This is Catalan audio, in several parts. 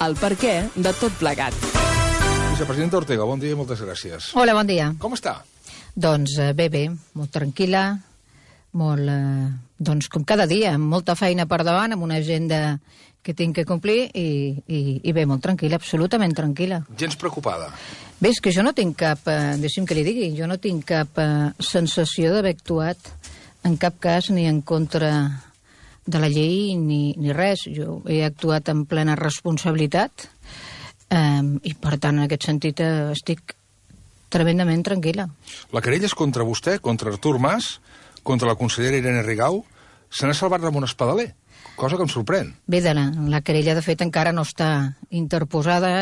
el perquè de tot plegat. Vicepresidenta Ortega, bon dia i moltes gràcies. Hola, bon dia. Com està? Doncs bé, molt tranquil·la, molt, doncs com cada dia, amb molta feina per davant, amb una agenda que tinc que complir i bé, molt tranquil·la, absolutament tranquil·la. Gens preocupada? Bé, és que jo no tinc cap, deixi'm que li digui, jo no tinc cap sensació d'haver actuat en cap cas ni en contra de la llei ni res. Jo he actuat en plena responsabilitat i, per tant, en aquest sentit estic tremendament tranquil·la. La querella és contra vostè, contra Artur Mas, contra la consellera Irene Rigau. Se n'ha salvat Ramon Espadaler, cosa que em sorprèn. Bé, la querella, de fet, encara no està interposada.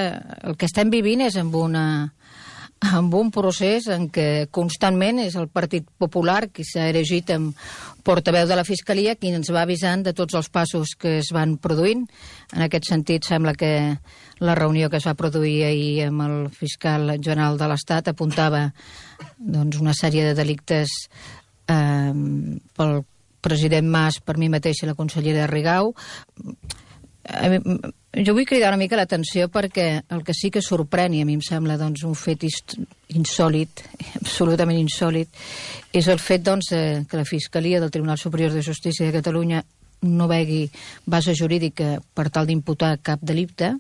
El que estem vivint és amb un procés en què constantment és el Partit Popular qui s'ha erigit en portaveu de la Fiscalia qui ens va avisant de tots els passos que es van produint. En aquest sentit, sembla que la reunió que es va produir ahir amb el fiscal general de l'Estat apuntava doncs, una sèrie de delictes pel president Mas, per mi mateixa i la consellera Rigau. Jo vull cridar una mica l'atenció perquè el que sí que sorprèn, i a mi em sembla doncs, un fet insòlit, absolutament insòlit, és el fet doncs, que la Fiscalia del Tribunal Superior de Justícia de Catalunya no vegi base jurídica per tal d'imputar cap delicte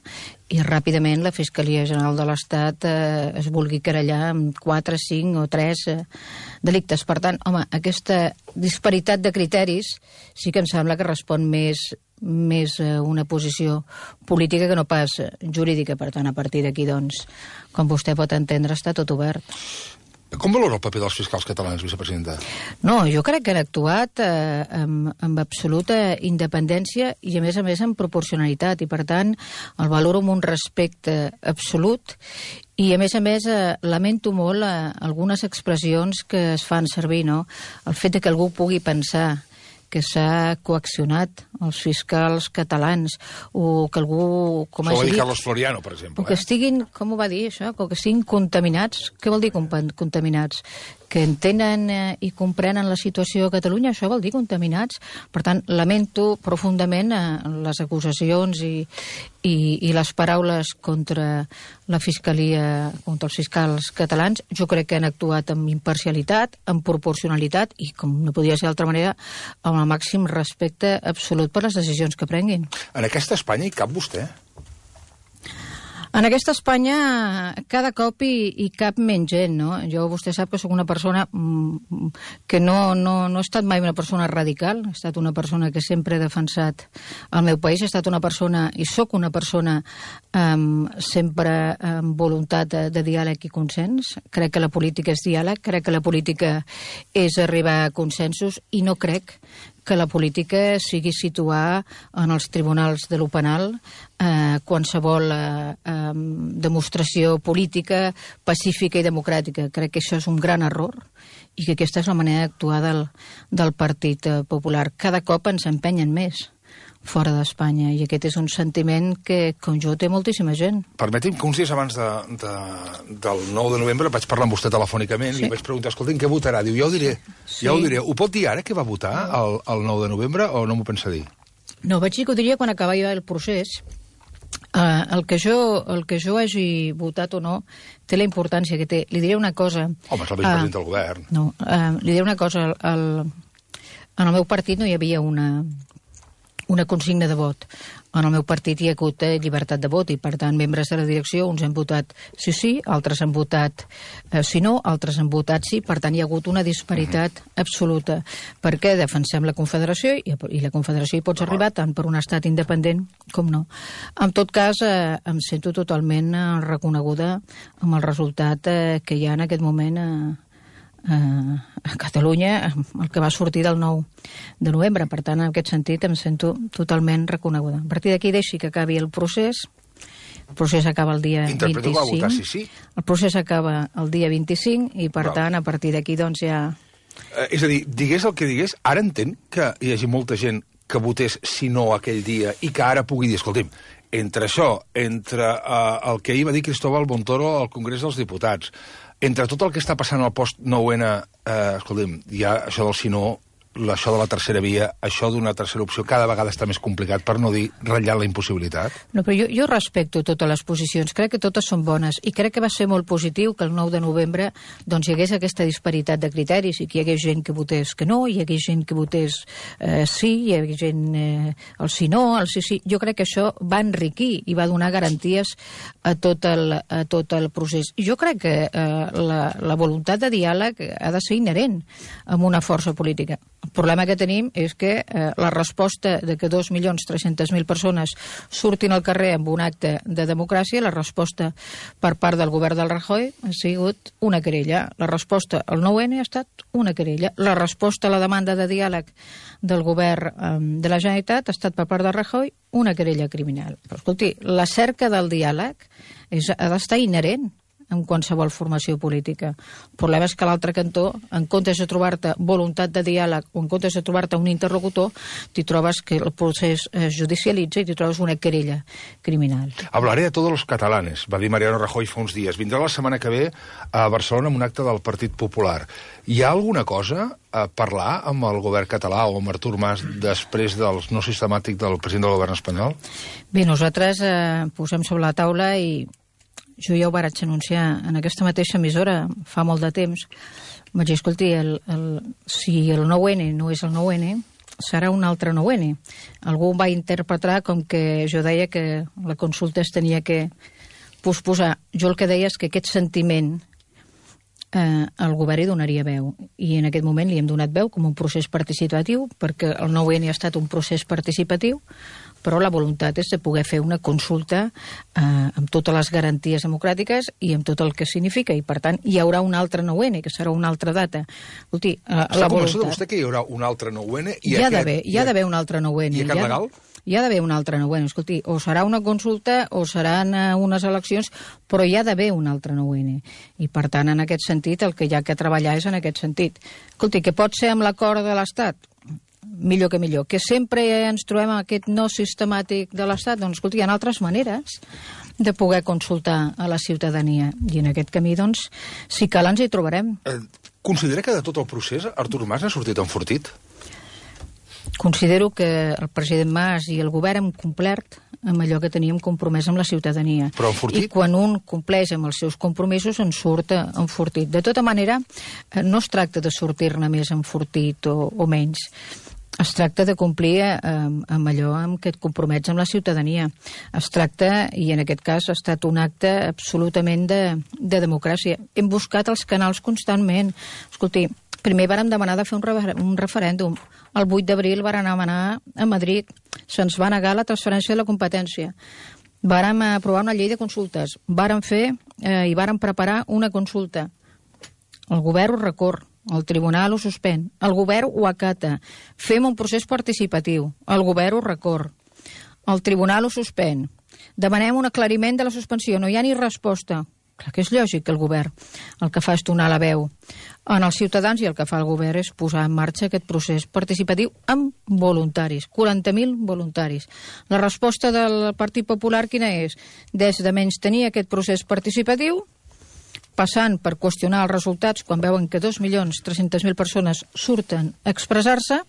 i ràpidament la Fiscalia General de l'Estat es vulgui querellar amb 4, 5 o 3 delictes. Per tant, home, aquesta disparitat de criteris sí que em sembla que respon més una posició política que no pas jurídica. Per tant, a partir d'aquí, doncs, com vostè pot entendre, està tot obert. Com valora el paper dels fiscals catalans, vicepresidenta? No, jo crec que han actuat amb absoluta independència i, a més, amb proporcionalitat. I, per tant, el valoro amb un respecte absolut. I, a més, lamento molt algunes expressions que es fan servir, no? El fet de que algú pugui pensar que s'ha coaccionat els fiscals catalans o que algú... Això ho va dir Carlos Floriano, per exemple. O que estiguin, com ho va dir això? Que estiguin contaminats. Què vol dir contaminats? Que entenen i comprenen la situació a Catalunya, això vol dir contaminats. Per tant, lamento profundament les acusacions i les paraules contra la Fiscalia, contra els fiscals catalans. Jo crec que han actuat amb imparcialitat, amb proporcionalitat i, com no podia ser d'altra manera, amb el màxim respecte absolut per les decisions que prenguin. En aquesta Espanya hi cap vostè? En aquesta Espanya cada cop hi cap menys gent, no? Vostè sap que sóc una persona que no he estat mai una persona radical, he estat una persona que sempre he defensat el meu país, he estat una persona, i sóc una persona sempre amb voluntat de diàleg i consens. Crec que la política és diàleg, crec que la política és arribar a consensos i no crec que la política sigui situar en els tribunals de lo penal qualsevol demostració política pacífica i democràtica. Crec que això és un gran error i que aquesta és la manera d'actuar del Partit Popular. Cada cop ens empenyen més fora d'Espanya i aquest és un sentiment que, com jo, té moltíssima gent. Permeti'm que uns dies abans del 9 de novembre vaig parlar amb vostè telefònicament i li vaig preguntar, escolti'm, què votarà? Diu, ja ho diré. Ja ho diré. Ho pot dir ara, què va votar el 9 de novembre, o no m'ho pensa dir? No, vaig dir que ho diria quan acabava el procés. El que jo hagi votat o no té la importància que té. Li diré una cosa... Home, és el vicepresident del govern. No, li diré una cosa. En el meu partit no hi havia una consigna de vot. En el meu partit hi ha hagut llibertat de vot i, per tant, membres de la direcció, uns han votat sí, altres han votat sí no, altres han votat sí. Per tant, hi ha hagut una disparitat absoluta. Perquè defensem la Confederació i la Confederació hi pots arribar tant per un estat independent com no. En tot cas, em sento totalment reconeguda amb el resultat que hi ha en aquest moment a Catalunya, el que va sortir del 9 de novembre. Per tant, en aquest sentit, em sento totalment reconeguda. A partir d'aquí deixi que acabi el procés. El procés acaba el dia 25. Interpreto que va votar sí. El procés acaba el dia 25 i, per tant, a partir d'aquí, doncs, ja... És a dir, digués el que digués, ara entenc que hi hagi molta gent que votés sí no aquell dia i que ara pugui dir, escolti'm, entre això, entre el que ahir va dir Cristóbal Montoro al Congrés dels Diputats, entre tot el que està passant al post-9N, escolti'm, ja això del sí no això de la tercera via, això d'una tercera opció, cada vegada està més complicat, per no dir ratllar la impossibilitat? No, però jo respecto totes les posicions, crec que totes són bones, i crec que va ser molt positiu que el 9 de novembre doncs, hi hagués aquesta disparitat de criteris, i que hi hagués gent que votés que no, hi hagués gent que votés sí, hi hagués gent el sí no, el sí sí. Jo crec que això va enriquir i va donar garanties a tot el procés. Jo crec que la voluntat de diàleg ha de ser inherent amb una força política. El problema que tenim és que la resposta de que 2.300.000 persones surtin al carrer amb un acte de democràcia, la resposta per part del govern del Rajoy ha sigut una querella. La resposta al 9N ha estat una querella. La resposta a la demanda de diàleg del govern de la Generalitat ha estat per part del Rajoy una querella criminal. Però, escolti, la cerca del diàleg ha d'estar inherent en qualsevol formació política. El problema és que a l'altre cantó, en comptes de trobar-te voluntat de diàleg o en comptes de trobar-te un interlocutor, t'hi trobes que el procés es judicialitza i t'hi trobes una querella criminal. Hablaré de todos los catalanes, va dir Mariano Rajoy fa uns dies. Vindrà la setmana que ve a Barcelona amb un acte del Partit Popular. Hi ha alguna cosa a parlar amb el govern català o amb Artur Mas després del no sistemàtic del president del govern espanyol? Bé, nosaltres posem sobre la taula i jo ja ho vaig anunciar en aquesta mateixa emissora fa molt de temps. Vaig dir, escolti, si el 9N no és el 9N, serà un altre 9N. Algú va interpretar com que jo deia que la consulta es tenia que posposar. Jo el que deia és que aquest sentiment el govern hi donaria veu. I en aquest moment li hem donat veu com un procés participatiu, perquè el 9N ha estat un procés participatiu, però la voluntat és de poder fer una consulta amb totes les garanties democràtiques i amb tot el que significa, i per tant hi haurà un altre 9N, que serà una altra data. Escolti, està convençut vostè que hi haurà un altre 9N? Hi ha d'haver un altre 9N. I aquest legal? Hi ha d'haver un altre 9N. Escolti, o serà una consulta o seran unes eleccions, però hi ha d'haver un altre 9N. I per tant, en aquest sentit, el que hi ha que treballar és en aquest sentit. Escolti, que pot ser amb l'acord de l'Estat? Millor que millor. Que sempre ens trobem aquest no sistemàtic de l'Estat? Doncs, escolti, hi ha altres maneres de poder consultar a la ciutadania. I en aquest camí, doncs, si cal, ens hi trobarem. Considera que de tot el procés Artur Mas n'ha sortit enfortit? Considero que el president Mas i el govern hem complert amb allò que teníem compromès amb la ciutadania. Però enfortit? I quan un compleix amb els seus compromisos en surt enfortit. De tota manera, no es tracta de sortir-ne més enfortit o menys. Es tracta de complir amb allò amb què et compromets amb la ciutadania. Es tracta, i en aquest cas ha estat un acte absolutament de democràcia. Hem buscat els canals constantment. Escolti, primer vàrem demanar de fer un referèndum. El 8 d'abril vàrem demanar a Madrid. Se'ns va negar la transferència de la competència. Vàrem aprovar una llei de consultes. Vàrem fer i vàrem preparar una consulta. El govern ho recorre. El tribunal ho suspèn, el govern ho acata, fem un procés participatiu, el govern ho recorre, el tribunal ho suspèn, demanem un aclariment de la suspensió, no hi ha ni resposta. Clar que és lògic que el govern el que fa és donar la veu en els ciutadans i el que fa el govern és posar en marxa aquest procés participatiu amb voluntaris, 40.000 voluntaris. La resposta del Partit Popular quina és? Des de menystenir aquest procés participatiu, passant per qüestionar els resultats quan veuen que 2.300.000 persones surten a expressar-se,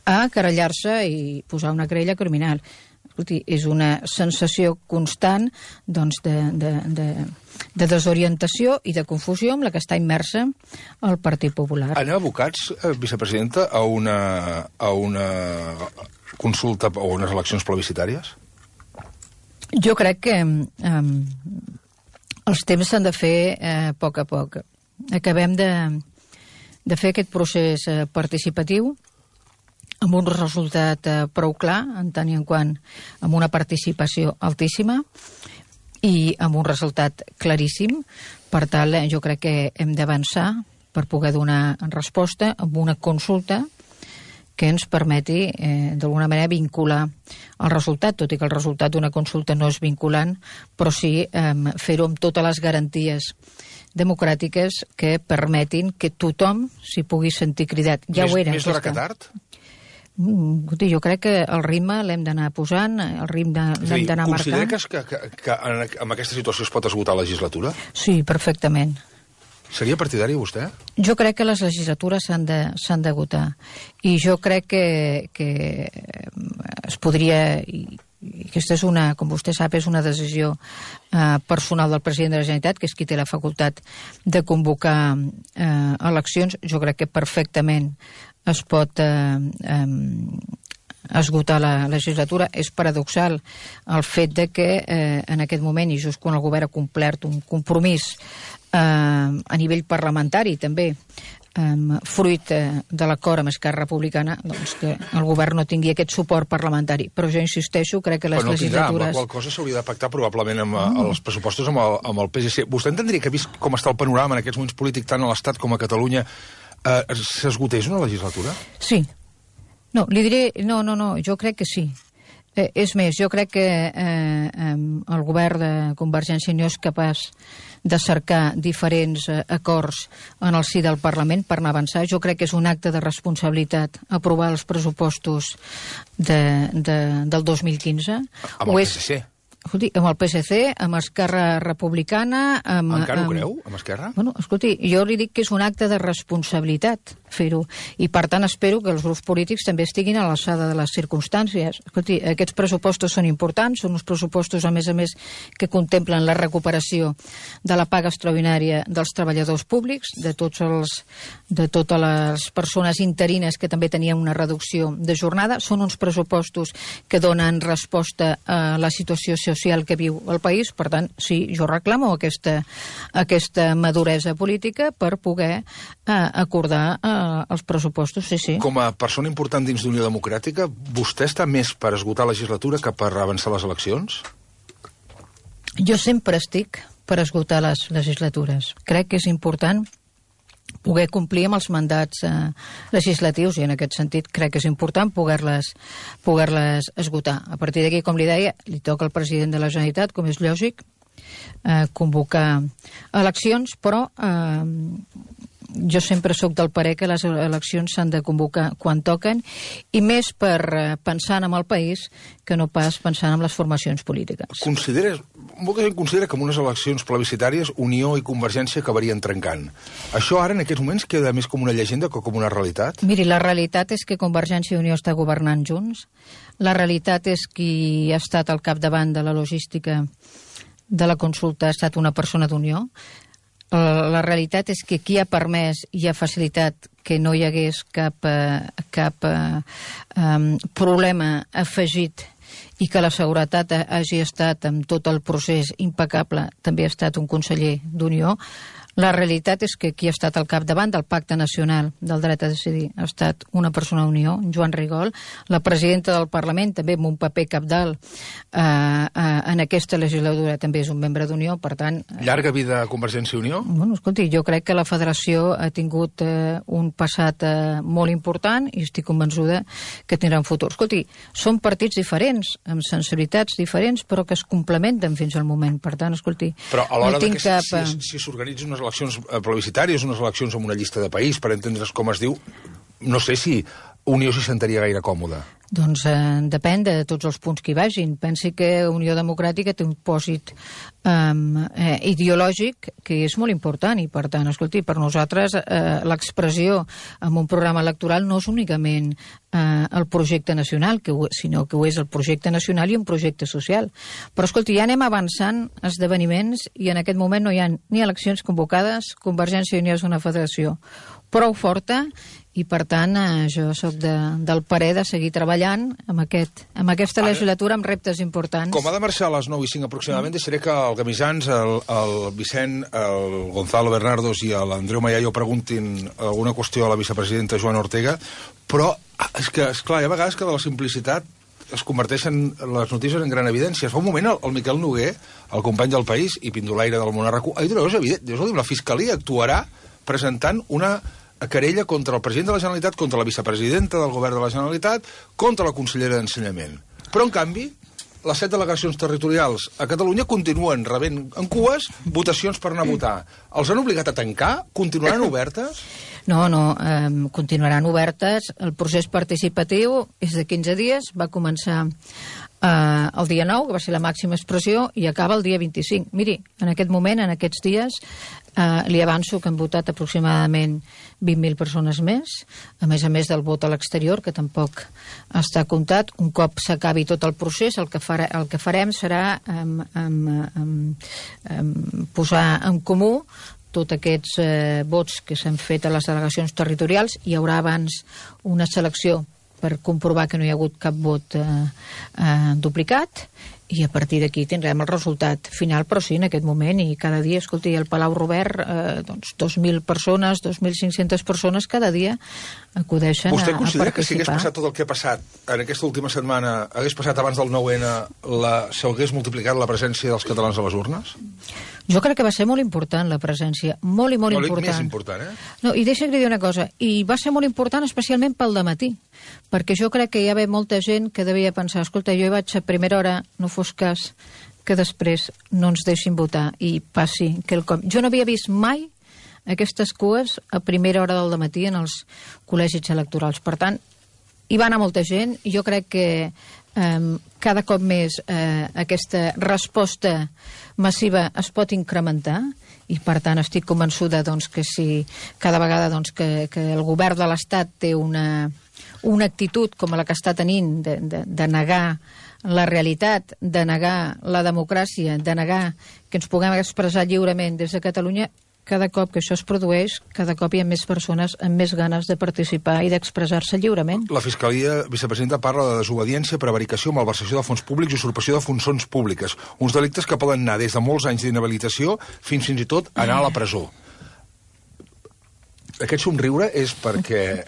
a querellar-se i posar una querella criminal. Escolti, és una sensació constant doncs, de desorientació i de confusió amb la que està immersa el Partit Popular. Anem abocats, vicepresidenta, a una consulta o unes eleccions plebiscitàries? Jo crec que els temps s'han de fer a poc a poc. Acabem de fer aquest procés participatiu amb un resultat prou clar, en tant i en quant amb una participació altíssima i amb un resultat claríssim. Per tant, jo crec que hem d'avançar per poder donar resposta amb una consulta que ens permeti, d'alguna manera, vincular el resultat, tot i que el resultat d'una consulta no és vinculant, però sí fer-ho amb totes les garanties democràtiques que permetin que tothom s'hi pugui sentir cridat. Ja ho era. Més d'hora que tard? Jo crec que el ritme l'hem d'anar posant, el ritme l'hem d'anar marcant. Considera que amb aquesta situació es pot esgotar la legislatura? Sí, perfectament. Seria partidari, vostè? Jo crec que les legislatures s'han d'agotar. I jo crec que es podria... I aquesta és una, com vostè sap, és una decisió personal del president de la Generalitat, que és qui té la facultat de convocar eleccions. Jo crec que perfectament es pot esgotar la legislatura. És paradoxal el fet de que en aquest moment, i just quan el govern ha complert un compromís a nivell parlamentari també, fruit de l'acord amb Esquerra Republicana, doncs que el govern no tingui aquest suport parlamentari. Però jo insisteixo, crec que les legislatures... Però no tindrà, amb la qual cosa s'hauria de pactar probablement amb els pressupostos amb el PSC. Vostè entendria que, vist com està el panorama en aquests moments polítics tant a l'Estat com a Catalunya, s'esgotés una legislatura? Sí. No, li diré... No, jo crec que sí. És més, jo crec que el govern de Convergència i Unió és capaç de cercar diferents acords en el si del Parlament per anar a avançar. Jo crec que és un acte de responsabilitat aprovar els pressupostos del 2015. Amb el PSC? Escolti, amb el PSC, amb Esquerra Republicana... Encara ho creu, amb Esquerra? Bueno, escolti, jo li dic que és un acte de responsabilitat fer-ho, i per tant espero que els grups polítics també estiguin a l'alçada de les circumstàncies. Escolti, aquests pressupostos són importants, són uns pressupostos, a més, que contemplen la recuperació de la paga extraordinària dels treballadors públics, de totes les persones interines que també tenien una reducció de jornada. Són uns pressupostos que donen resposta a la situació social que viu el país. Per tant, sí, jo reclamo aquesta maduresa política per poder acordar els pressupostos, sí. Com a persona important dins d'Unió Democràtica, vostè està més per esgotar la legislatura que per avançar les eleccions? Jo sempre estic per esgotar les legislatures. Crec que és important poder complir amb els mandats legislatius, i en aquest sentit crec que és important poder-les esgotar. A partir d'aquí, com li deia, li toca al president de la Generalitat, com és lògic, convocar eleccions, però jo sempre sóc del parer que les eleccions s'han de convocar quan toquen, i més per pensar en el país que no pas pensant en les formacions polítiques. Molta gent considera que en unes eleccions plebiscitàries Unió i Convergència acabarien trencant. Això ara, en aquests moments, queda més com una llegenda que com una realitat? Miri, la realitat és que Convergència i Unió està governant junts. La realitat és qui ha estat al capdavant de la logística de la consulta ha estat una persona d'Unió. La realitat és que qui ha permès i ha facilitat que no hi hagués cap problema afegit i que la seguretat hagi estat amb tot el procés impecable, també ha estat un conseller d'Unió. La realitat és que qui ha estat al capdavant del Pacte Nacional del Dret a Decidir ha estat una persona d'Unió, Joan Rigol. La presidenta del Parlament, també amb un paper cabdal en aquesta legislatura, també és un membre d'Unió, per tant... Llarga vida a Convergència i Unió? Bueno, escolti, jo crec que la federació ha tingut un passat molt important i estic convençuda que tindrà un futur. Escolti, són partits diferents, amb sensibilitats diferents, però que es complementen fins al moment. Per tant, escolti... Però a l'hora no si s'organitzen unes eleccions plebiscitàries, unes eleccions amb una llista de país, per entendre's com es diu, no sé si Unió s'hi sentaria gaire còmoda. Doncs depèn de tots els punts que hi vagin. Pensi que Unió Democràtica té un pòsit ideològic que és molt important, i per tant, escolti, per nosaltres l'expressió en un programa electoral no és únicament el projecte nacional, sinó que ho és el projecte nacional i un projecte social. Però escolti, ja anem avançant esdeveniments i en aquest moment no hi ha ni eleccions convocades. Convergència i Unió és una federació prou forta i, per tant, jo sóc del parer de seguir treballant amb aquesta legislatura amb reptes importants. Com ha de marxar a les 9:05 aproximadament, deixaré que el Gamisans, el Vicent, el Gonzalo Bernardos i l'Andreu Mayayo preguntin alguna qüestió a la vicepresidenta Joana Ortega, però és que, esclar, hi ha vegades que de la simplicitat es converteixen les notícies en gran evidència. Fa un moment el Miquel Noguer, el company del País i pindolaire del món RAC1, ha dit una cosa evident. La Fiscalia actuarà presentant una querella contra el president de la Generalitat, contra la vicepresidenta del govern de la Generalitat, contra la consellera d'Ensenyament. Però, en canvi, les 7 delegacions territorials a Catalunya continuen rebent en cues votacions per anar a votar. Els han obligat a tancar? Continuaran obertes? No, continuaran obertes. El procés participatiu és de 15 dies, va començar el dia 9, que va ser la màxima expressió, i acaba el dia 25. Miri, en aquest moment, en aquests dies, li avanço que han votat aproximadament 20.000 persones més, a més del vot a l'exterior, que tampoc està comptat. Un cop s'acabi tot el procés, el que farem serà posar en comú tots aquests vots que s'han fet a les delegacions territorials. Hi haurà abans una selecció per comprovar que no hi ha hagut cap vot duplicat, i a partir d'aquí tindrem el resultat final, però sí, en aquest moment, i cada dia, escolti, al Palau Robert, 2.000 persones, 2.500 persones cada dia acudeixen a participar. Vostè considera que si hagués passat tot el que ha passat en aquesta última setmana, hagués passat abans del 9-N, s'hagués multiplicat la presència dels catalans a les urnes? Jo crec que va ser molt important la presència, molt important. Més important, No, i deixa que li digui una cosa, i va ser molt important especialment pel dematí, perquè jo crec que hi havia molta gent que devia pensar, escolta, jo hi vaig a primera hora, no fos cas que després no ens deixin votar i passi quelcom. Jo no havia vist mai aquestes cues a primera hora del dematí en els col·legis electorals. Per tant, hi va anar molta gent, i jo crec que cada cop més aquesta resposta massiva es pot incrementar, i per tant estic convençuda que si cada vegada que el govern de l'Estat té una actitud com la que està tenint de negar la realitat, de negar la democràcia, de negar que ens puguem expressar lliurement des de Catalunya, cada cop que això es produeix, cada cop hi ha més persones amb més ganes de participar i d'expressar-se lliurement. La Fiscalia, vicepresidenta, parla de desobediència, prevaricació, malversació de fons públics i usurpació de funcions públiques. Uns delictes que poden anar des de molts anys d'inhabilitació fins i tot anar a la presó. Aquest somriure és perquè...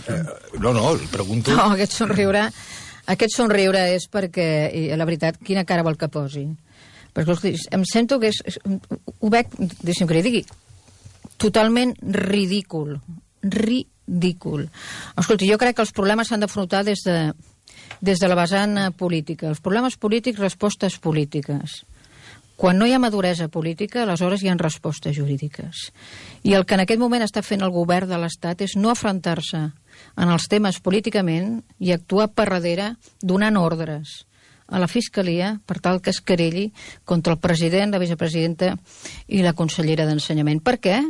No, el pregunto... No, aquest somriure és perquè, la veritat, quina cara vol que posi? Perquè em sento que ho veig, deixi'm que li digui, totalment ridícul. Escolti, jo crec que els problemes s'han d'afrontar des de la vessant política. Els problemes polítics, respostes polítiques. Quan no hi ha maduresa política, aleshores hi ha respostes jurídiques. I el que en aquest moment està fent el govern de l'Estat és no afrontar-se en els temes políticament i actuar per darrere donant ordres a la Fiscalia per tal que es querelli contra el president, la vicepresidenta i la consellera d'Ensenyament. Per què?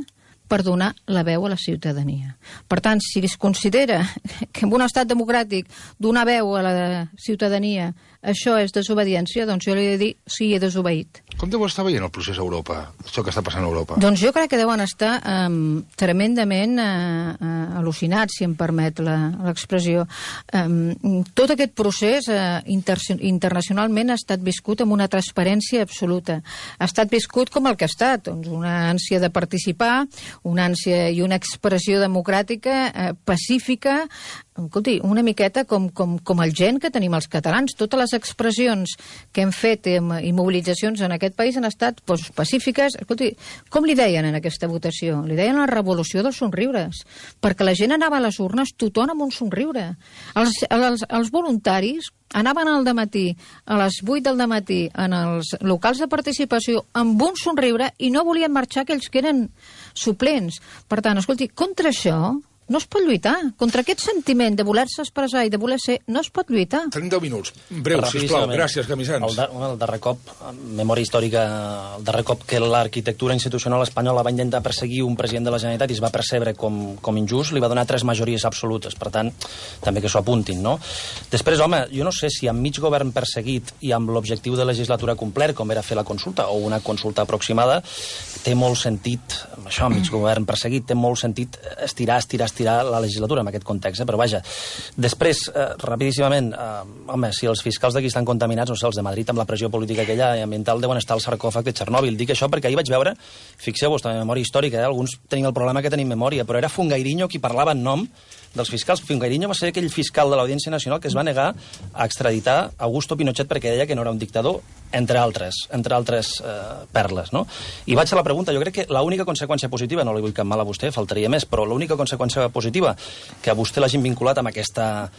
Per donar la veu a la ciutadania. Per tant, si es considera que en un estat democràtic donar veu a la ciutadania això és desobediència, doncs jo li he de dir sí, he desobeït. Com deu estar veient el procés a Europa, això que està passant a Europa? Doncs jo crec que deuen estar tremendament al·lucinats, si em permet l'expressió. Tot aquest procés internacionalment ha estat viscut amb una transparència absoluta. Ha estat viscut com el que ha estat, doncs una ànsia de participar, una ànsia i una expressió democràtica pacífica, escolti, una miqueta com el gent que tenim els catalans. Totes les expressions que hem fet i mobilitzacions en aquest país han estat pacífiques. Escolti, com li deien en aquesta votació? Li deien la revolució dels somriures, perquè la gent anava a les urnes tothom amb un somriure. Els voluntaris anaven al dematí, a les 8 del dematí, en els locals de participació amb un somriure i no volien marxar aquells que eren suplents. Per tant, escolti, contra això no es pot lluitar. Contra aquest sentiment de voler-se expressar i de voler ser, no es pot lluitar. Tenim 10 minuts. Breu, sisplau. Gràcies, Camisans. El darrer cop, memòria històrica, el darrer cop que l'arquitectura institucional espanyola va intentar perseguir un president de la Generalitat i es va percebre com injust, li va donar 3 majories absolutes. Per tant, també que s'ho apuntin, no? Després, home, jo no sé si amb mig govern perseguit i amb l'objectiu de legislatura complet, com era fer la consulta, o una consulta aproximada, té molt sentit, això, mig govern perseguit, té molt sentit estirar la legislatura en aquest context, però vaja. Després, rapidíssimament, home, si els fiscals d'aquí estan contaminats, no sé, els de Madrid amb la pressió política aquella i ambiental deuen estar al sarcòfag de Txernòbil. Dic això perquè ahir vaig veure, fixeu-vos, també memòria històrica, alguns tenien el problema que tenim memòria, però era Fungairiño qui parlava en nom dels fiscals. Fungairiño va ser aquell fiscal de l'Audiència Nacional que es va negar a extraditar Augusto Pinochet perquè deia que no era un dictador, entre altres perles, no? I vaig a la pregunta, jo crec que l'única conseqüència positiva, no li vull cap mal a vostè, faltaria més, però l'única conseqüència positiva que a vostè l'hagin vinculat amb aquesta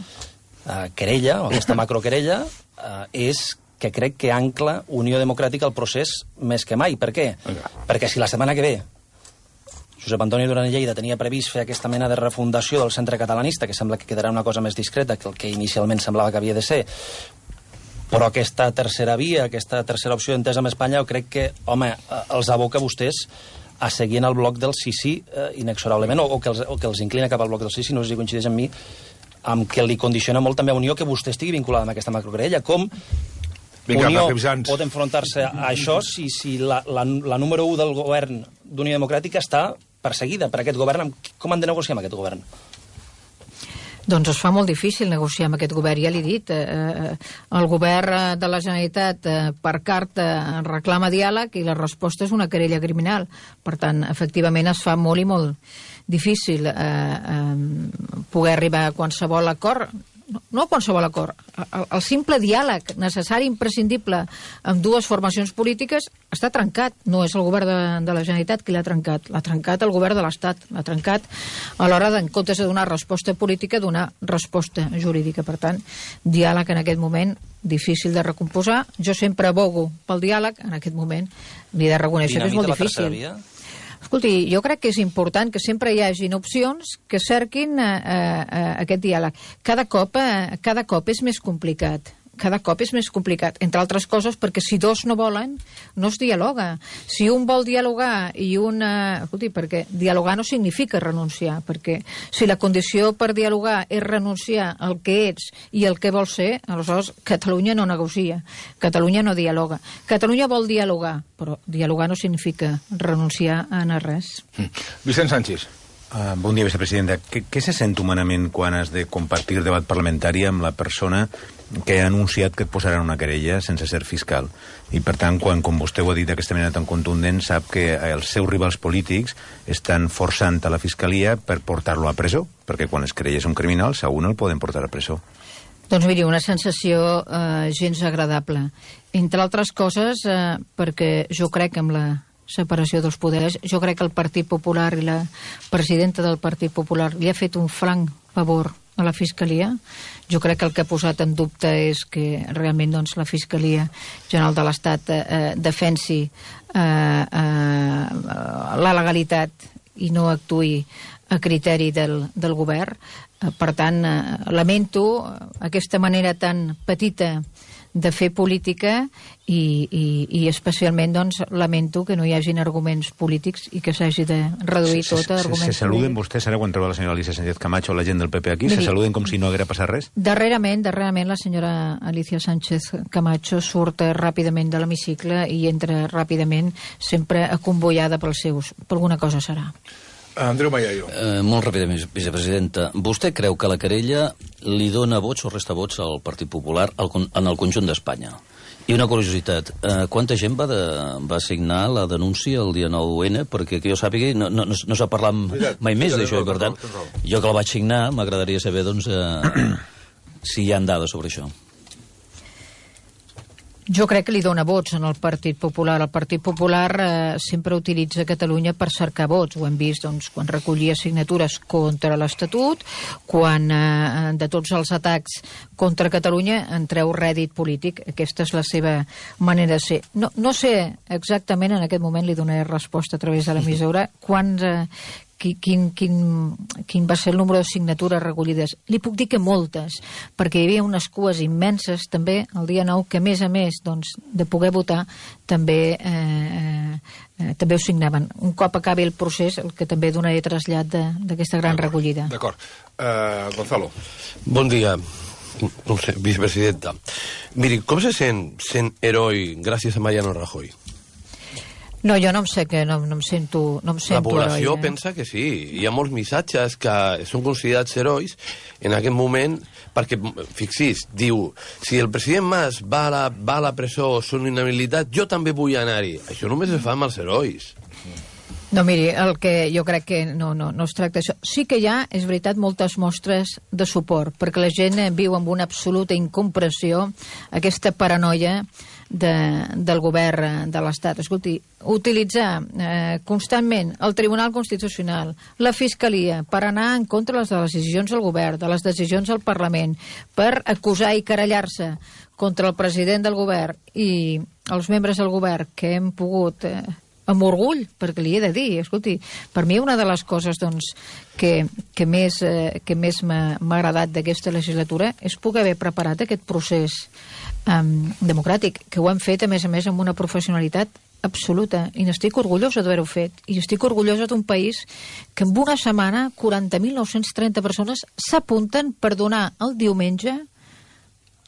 querella, o aquesta macroquerella, és que crec que ancla Unió Democràtica al procés més que mai. Per què? Perquè si la setmana que ve Josep Antoni Duran i Lleida tenia previst fer aquesta mena de refundació del centre catalanista, que sembla que quedarà una cosa més discreta que el que inicialment semblava que havia de ser, Però aquesta tercera via, aquesta tercera opció d'entesa amb Espanya, jo crec que, home, els aboca vostès a seguir en el bloc del sí, inexorablement, o que els inclina cap al bloc del sí, no sé si coincideix amb mi, amb que li condiciona molt també a Unió que vostè estigui vinculada amb aquesta macroquerella. Com Unió pot enfrontar-se a això si la número 1 del govern d'Unió Democràtica està perseguida per aquest govern? Com han de negociar amb aquest govern? Doncs es fa molt difícil negociar amb aquest govern, ja l'he dit. El govern de la Generalitat per carta reclama diàleg i la resposta és una querella criminal. Per tant, efectivament es fa molt i molt difícil poder arribar a qualsevol acord. No a qualsevol acord. El simple diàleg necessari, imprescindible, amb dues formacions polítiques està trencat. No és el govern de la Generalitat qui l'ha trencat. L'ha trencat el govern de l'Estat. L'ha trencat a l'hora en comptes de donar resposta política, donar resposta jurídica. Per tant, diàleg en aquest moment difícil de recomposar. Jo sempre abogo pel diàleg. En aquest moment li he de reconèixer que és molt difícil. Escolti, jo crec que és important que sempre hi hagin opcions que cerquin aquest diàleg. Cada cop és més complicat. Cada cop és més complicat, entre altres coses perquè si dos no volen, no es dialoga. Si un vol dialogar i un... Escolti, perquè dialogar no significa renunciar, perquè si la condició per dialogar és renunciar al que ets i el que vols ser, aleshores Catalunya no negocia, Catalunya no dialoga. Catalunya vol dialogar, però dialogar no significa renunciar a res. Vicent Sánchez. Bon dia, vicepresidenta. Què se sent humanament quan has de compartir debat parlamentari amb la persona que ha anunciat que et posaran una querella sense ser fiscal? I, per tant, quan, com vostè ho ha dit d'aquesta manera tan contundent, sap que els seus rivals polítics estan forçant a la fiscalia per portar-lo a presó, perquè quan es querelles un criminal, segur no el poden portar a presó. Doncs miri, una sensació gens agradable. Entre altres coses, perquè jo crec que amb la separació dels poders, jo crec que el Partit Popular i la presidenta del Partit Popular li ha fet un franc favor a la Fiscalia. Jo crec que el que ha posat en dubte és que realment doncs, la Fiscalia General de l'Estat defensi la legalitat i no actuï a criteri del govern. Per tant, lamento aquesta manera tan petita de fer política i especialment doncs, lamento que no hi hagin arguments polítics i que s'hagi de reduir tot a arguments polítics. Se saluden vostès ara quan troba la senyora Alicia Sánchez Camacho o la gent del PP aquí? Se saluden com si no haguera passat res? Darrerament la senyora Alicia Sánchez Camacho surt ràpidament de l'hemicicle i entra ràpidament, sempre acomboiada pels seus. Per alguna cosa serà. Andreu Mayayo. Molt ràpidament, vicepresidenta. Vostè creu que la querella li dona vots o resta vots al Partit Popular en el conjunt d'Espanya? I una curiositat, quanta gent va signar la denúncia el dia 9-N? Perquè que jo sàpiga, no s'ha parlat mai més d'això, i per tant, jo que la vaig signar, m'agradaria saber doncs, si hi ha dades sobre això. Jo crec que li dona vots en el Partit Popular. El Partit Popular sempre utilitza Catalunya per cercar vots. Ho hem vist doncs, quan recollia signatures contra l'Estatut, quan de tots els atacs contra Catalunya en treu rèdit polític. Aquesta és la seva manera de ser. No sé exactament, en aquest moment li donaré resposta a través de l'emissora, quin va ser el número de signatures recollides. Li puc dir que moltes, perquè hi havia unes cues immenses també el dia 9 que, a més doncs, de poder votar, també ho signaven. Un cop acabi el procés, el que també donaré trasllat d'aquesta gran recollida. D'acord. Gonzalo. Bon dia, vicepresidenta. Miri, com se sent heroi gràcies a Mariano Rajoy? No, jo no em sé que no em sento la població heroi, pensa que sí. Hi ha molts missatges que són considerats herois en aquest moment, perquè, fixis, diu, si el president Mas va a la presó o són inhabilitat, jo també vull anar-hi. Això només es fa amb els herois. No, miri, el que jo crec que no es tracta d'això. Sí que hi ha, és veritat, moltes mostres de suport, perquè la gent viu amb una absoluta incomprensió aquesta paranoia del govern de l'Estat. Escolti, utilitzar constantment el Tribunal Constitucional, la Fiscalia, per anar en contra de les decisions del govern, de les decisions del Parlament, per acusar i querellar-se contra el president del govern i els membres del govern que hem pogut... amb orgull, perquè li he de dir, escolti, per mi una de les coses doncs, que més m'ha agradat d'aquesta legislatura és poder haver preparat aquest procés democràtic, que ho hem fet, a més, amb una professionalitat absoluta, i n'estic orgullosa d'haver-ho fet, i estic orgullosa d'un país que en una setmana 40.930 persones s'apunten per donar el diumenge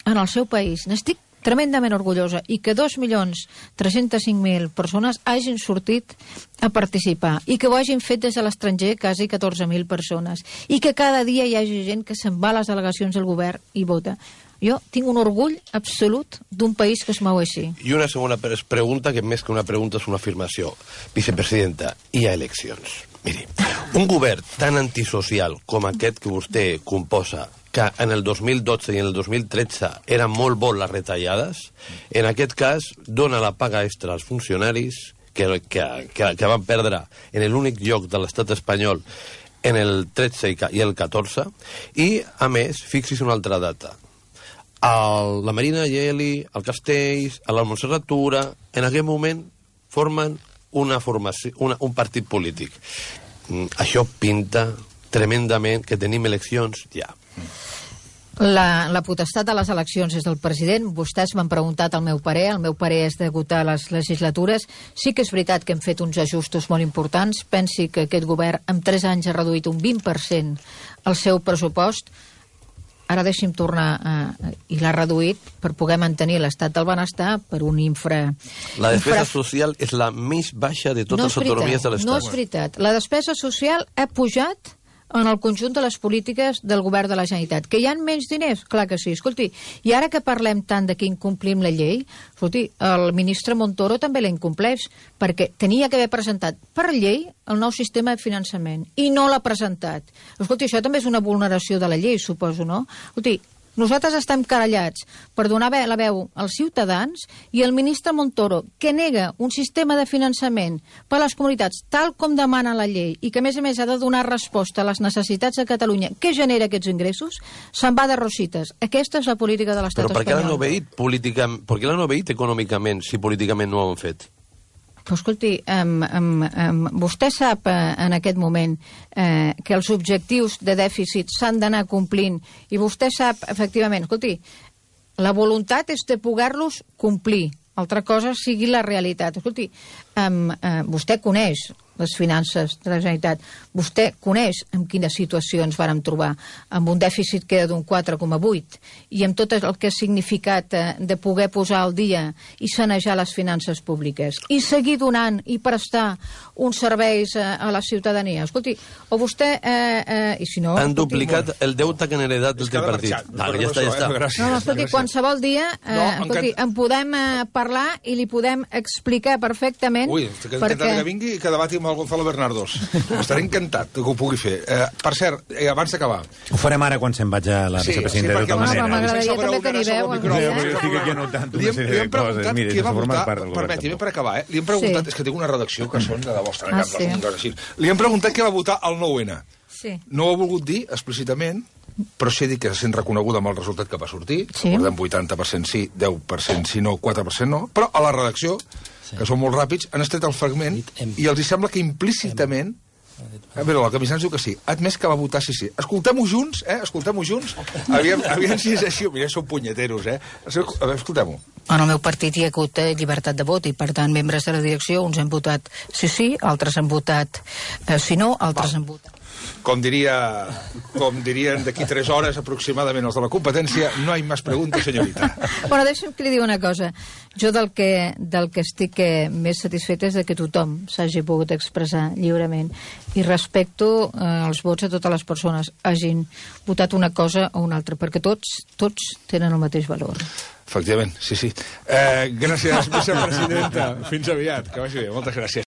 en el seu país. N'estic tremendament orgullosa, i que 2.305.000 persones hagin sortit a participar, i que ho hagin fet des de l'estranger quasi 14.000 persones, i que cada dia hi hagi gent que se'n va a les delegacions del govern i vota. Jo tinc un orgull absolut d'un país que es mou així. I una segona pregunta, que més que una pregunta és una afirmació. Vicepresidenta, hi ha eleccions. Miri, un govern tan antisocial com aquest que vostè composa, que en el 2012 i en el 2013 eren molt bo les retallades, en aquest cas dona la paga extra als funcionaris que van perdre en l'únic lloc de l'estat espanyol en el 13 i el 14, i, a més, fixi's una altra data. La Marina Geli, el Castells, la Montserrat Tura, en aquell moment formen un partit polític. Això pinta tremendament que tenim eleccions ja. La potestat de les eleccions és del president. Vostès m'han preguntat el meu parer és degut a les legislatures. Sí que és veritat que hem fet uns ajustos molt importants. Pensi que aquest govern en 3 anys ha reduït un 20% el seu pressupost. Ara deixi'm tornar i l'ha reduït per poder mantenir l'estat del benestar per un La despesa social és la més baixa de totes les autonomies de l'estat. No és veritat. La despesa social ha pujat en el conjunt de les polítiques del govern de la Generalitat. Que hi ha menys diners? Clar que sí. Escolti, i ara que parlem tant de que incomplim la llei, escolti, el ministre Montoro també la incompleix, perquè tenia que haver presentat per llei el nou sistema de finançament, i no l'ha presentat. Escolti, això també és una vulneració de la llei, suposo, no? Escolti, nosaltres estem querellats per donar la veu als ciutadans, i el ministre Montoro, que nega un sistema de finançament per a les comunitats tal com demana la llei, i que a més ha de donar resposta a les necessitats de Catalunya que genera aquests ingressos, se'n va de rosites. Aquesta és la política de l'estat espanyol. Però per què l'han obeït econòmicament si políticament no ho han fet? Però escolti, vostè sap en aquest moment que els objectius de dèficit s'han d'anar complint, i vostè sap, efectivament, escolti, la voluntat és de poder-los complir. Altra cosa sigui la realitat. Escolti, vostè coneix les finances de la Generalitat. Vostè coneix en quina situació ens vàrem trobar, amb un dèficit que era d'un 4,8, i amb tot el que ha significat de poder posar al dia i sanejar les finances públiques, i seguir donant i prestar uns serveis a la ciutadania. Escolti, o vostè... i si no... Han duplicat el deute que han heredat del tripartit. Ja està. No, escolti, qualsevol dia en podem parlar i li podem explicar perfectament... Ui, estic encantat que vingui i que debati amb el Gonzalo Bernardos. Estaré encantat que ho pugui fer. Per cert, abans d'acabar... Ho farem ara quan se'n vaig a la vicepresidenta de tota manera. M'agradaria també que n'hi veu. Estic aquí anotant una sèrie de coses. Mira, sense formar part del govern. Permeti-me per acabar, li hem preguntat... És que tinc una redacció que són de la vostra casa. Li hem preguntat què va votar el 9-N. No ho ha volgut dir explícitament, però sí dir que se sent reconeguda amb el resultat que va sortir. Recordem 80% sí, 10% sí, no, 4% no. Però a la redacció, que són molt ràpids, han estret el fragment i els sembla que implícitament... A veure, la Camisans diu que sí. Ha admès que va votar sí. Escoltem-ho junts, Escoltem-ho junts. Aviam si és així. Mira, són punyeteros, A veure, escoltem-ho. En el meu partit hi ha hagut llibertat de vot, i per tant membres de la direcció, uns han votat sí, altres han votat sí, no, altres han votat. Com dirien d'aquí 3 hores aproximadament els de la competència, no hi ha més preguntes, senyorita. Bueno, deixa'm que li digui una cosa. Jo del que estic més satisfeta és que tothom s'hagi pogut expressar lliurement, i respecto els vots a totes les persones hagin votat una cosa o una altra, perquè tots tenen el mateix valor. Efectivament, sí. Gràcies, vicepresidenta. Fins aviat, que vagi bé. Moltes gràcies.